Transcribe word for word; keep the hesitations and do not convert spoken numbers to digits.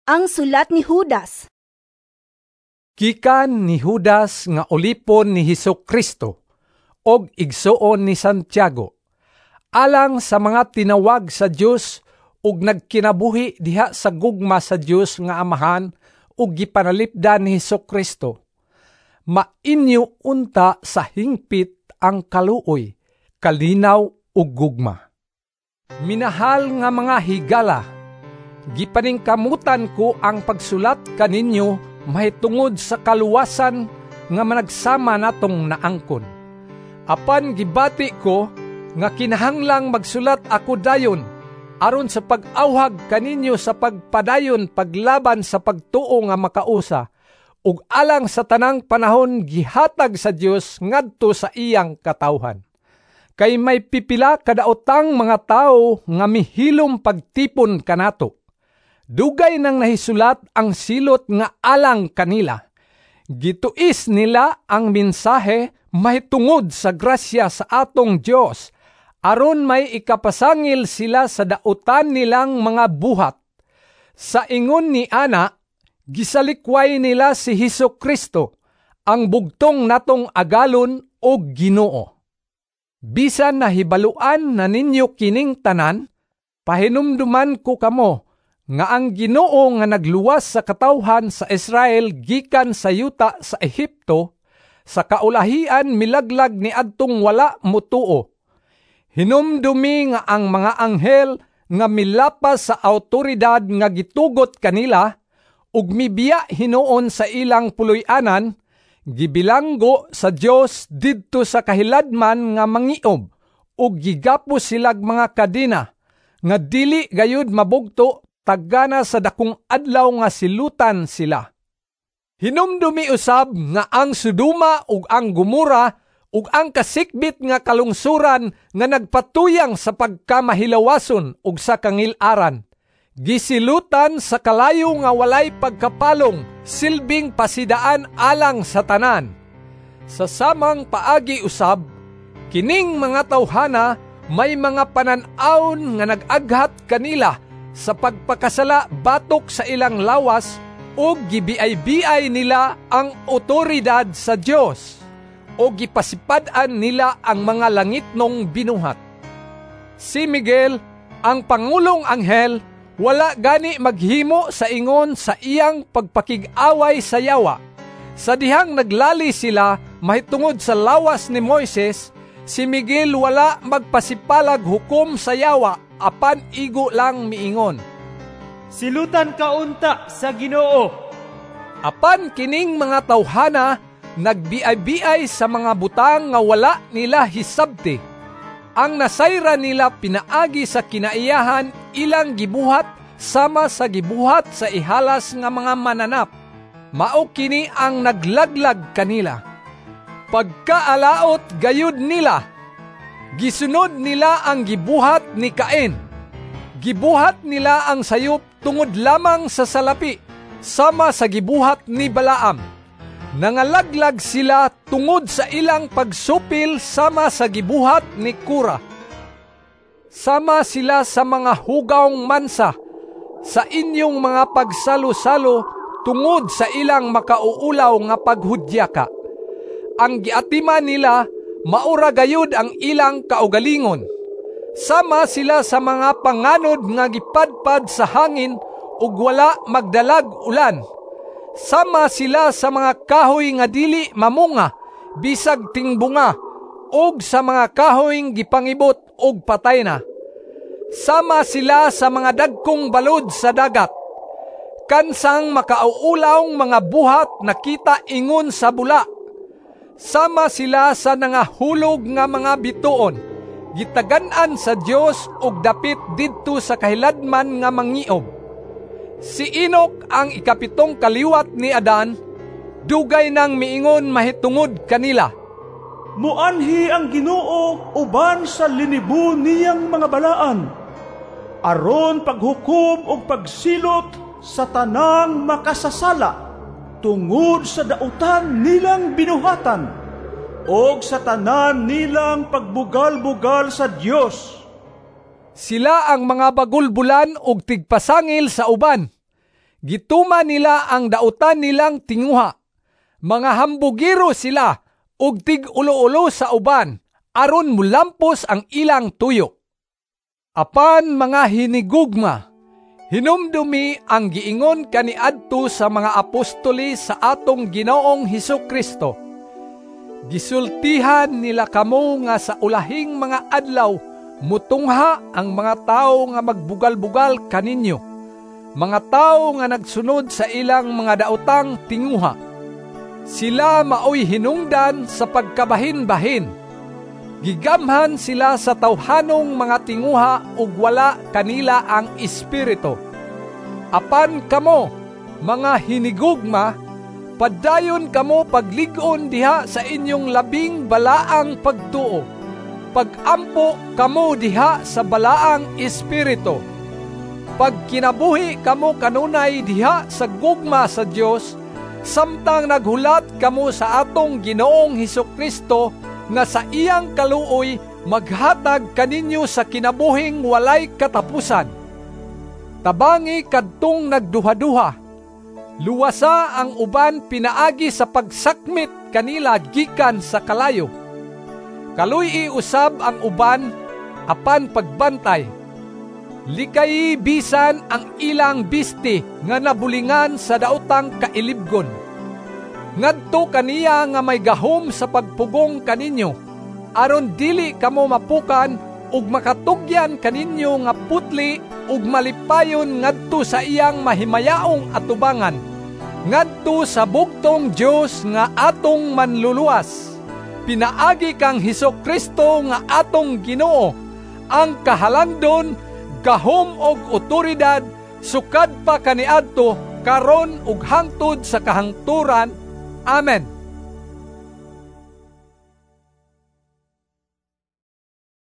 Ang sulat ni Judas. Gikan ni Judas nga ulipon ni Hesus Kristo og igsuon ni Santiago, alang sa mga tinawag sa Dios ug nagkinabuhi diha sa gugma sa Dios nga Amahan ug gipanalipdan ni Hesus Kristo. Mainyo unta sa hingpit ang kaluoy, kalinaw ug gugma. Minahal nga mga higala, gipaningkamutan ko ang pagsulat kaninyo mahitungod sa kaluwasan nga managsama natong naangkon. Apan gibati ko nga kinahanglang magsulat ako dayon aron sa pag-awhag kaninyo sa pagpadayon paglaban sa pagtuo nga makausa ug alang sa tanang panahon gihatag sa Dios ngadto sa iyang katawhan. Kay may pipila kadaotang mga tawo nga mihilom pagtipon kanato. Dugay nang nahisulat ang silot nga alang kanila. Gituis nila ang mensahe mahitungod sa grasya sa atong Dios, aron may ikapasangil sila sa dautan nilang mga buhat. Sa ingon ni ana, gisalikway nila si Hesus Kristo, ang bugtong natong Agalon ug Ginoo. Bisan nahibaluan na ninyo kining tanan, pahinumduman ko kamo nga ang Ginoo nga nagluwas sa katawhan sa Israel gikan sa yuta sa Ehipto, sa kaulahian milaglag ni adtong wala motuo. Hinumdumi nga ang mga anghel nga milapas sa awtoridad nga gitugot kanila ug mibiya hinuon sa ilang puloy-anan, gibilanggo sa Dios didto sa kahiladman nga mangiob ug gigapos silag mga kadena nga dili gayud mabugto tagana sa dakong adlaw nga silutan sila. Hinumdumi usab nga ang Sodoma ug ang Gomora ug ang kasikbit nga kalungsuran nga nagpatuyang sa pagkamahilawason ug sa kangil-aran, gisilutan sa kalayo nga walay pagkapalong, silbing pasidaan alang sa tanan. Sa samang paagi usab, kining mga tawhana may mga panan-awon nga nag-aghat kanila sa pagpakasala batok sa ilang lawas ug gibiay-biay nila ang otoridad sa Dios o gipasipad-an nila ang mga langitnong binuhat. Si Miguel, ang pangulong anghel, wala gani maghimo sa ingon sa iyang pagpakig-away sa yawa. Sa dihang naglali sila mahitungod sa lawas ni Moises, si Miguel wala magpasipalag hukom sa yawa, apan igo lang miingon, "Silutan ka unta sa Ginoo." Apan kining mga tawhana nagbiay-biay sa mga butang nga wala nila hisabti. Ang nasayran nila pinaagi sa kinaiyahan ilang gibuhat sama sa gibuhat sa ihalas nga mga mananap. Mao kini ang naglaglag kanila. Pagkaalaot gayud nila, gisunod nila ang gibuhat ni Cain. Gibuhat nila ang sayop tungod lamang sa salapi, sama sa gibuhat ni Balaam. Nangalaglag sila tungod sa ilang pagsupil sama sa gibuhat ni Kora. Sama sila sa mga hugawng mansa sa inyong mga pagsalo-salo tungod sa ilang makauulaw nga paghudyaka. Ang giatiman nila maura gayud ang ilang kaugalingon. Sama sila sa mga panganod nga gipadpad sa hangin ug wala magdalag ulan. Sama sila sa mga kahoy nga dili mamunga bisag tingbunga ug sa mga kahoy gipangibot og patay na. Sama sila sa mga dagkong balod sa dagat. Kansang makauulawng mga buhat nakita ingon sa bula. Sama sila sa nangahulog nga mga bituon, gitagan-an sa Dios og dapit didto sa kahiladman nga mangiob. Si Enoch, ang ikapitong kaliwat ni Adan, dugay nang miingon mahitungod kanila, "Muanhi ang Ginoo uban sa linibo niyang mga balaan, aron paghukom ug pagsilot sa tanang makasasala tungod sa dautan nilang binuhatan og sa tanan nilang pagbugal-bugal sa Dios." Sila ang mga bagulbulan ug tigpasangil sa uban. Gituman nila ang dautan nilang tinguha. Mga hambugiro sila ug tig-ulo-ulo sa uban aron mulampos ang ilang tuyo. Apan mga hinigugma, hinumdumi ang giingon kaniadto sa mga apostoles sa atong Ginoong Hesus Kristo. Gisultihan nila kamo nga sa ulahing mga adlaw mutungha ang mga tawo nga magbugal-bugal kaninyo, mga tawo nga nagsunod sa ilang mga daotang tinguha. Sila maoy hinungdan sa pagkabahin-bahin. Gigamhan sila sa tawhanong mga tinguha ug wala kanila ang espiritu. Apan kamo, mga hinigugma, padayon kamo paglig-on diha sa inyong labing balaang pagtuo. Pagampo kamo diha sa balaang espiritu. Pagkinabuhi kamo kanunay diha sa gugma sa Dios, samtang naghulat kamo sa atong Ginoong Hesus Kristo nga sa iyang kaluoy maghatag kaninyo sa kinabuhing walay katapusan. Tabangi kadtong nagduhaduha. Luwasa ang uban pinaagi sa pagsakmit kanila gikan sa kalayo. Kaluy-i usab ang uban apan pagbantay. Likayi bisan ang ilang bisti nga nabulingan sa daotang kailibgon. Ngadto kaniya nga may gahom sa pagpugong kaninyo, aron dili kamo mapukan ug makatugyan kaninyo nga putli ug malipayon ngadto sa iyang mahimayaong atubangan, ngadto sa bugtong Dios nga atong manluluwas. Pinaagi kang Hesus Kristo nga atong Ginoo, ang kahalangdon, gahom og otoridad sukad pa kaniadto, karon ug hangtod sa kahangturan. Amen.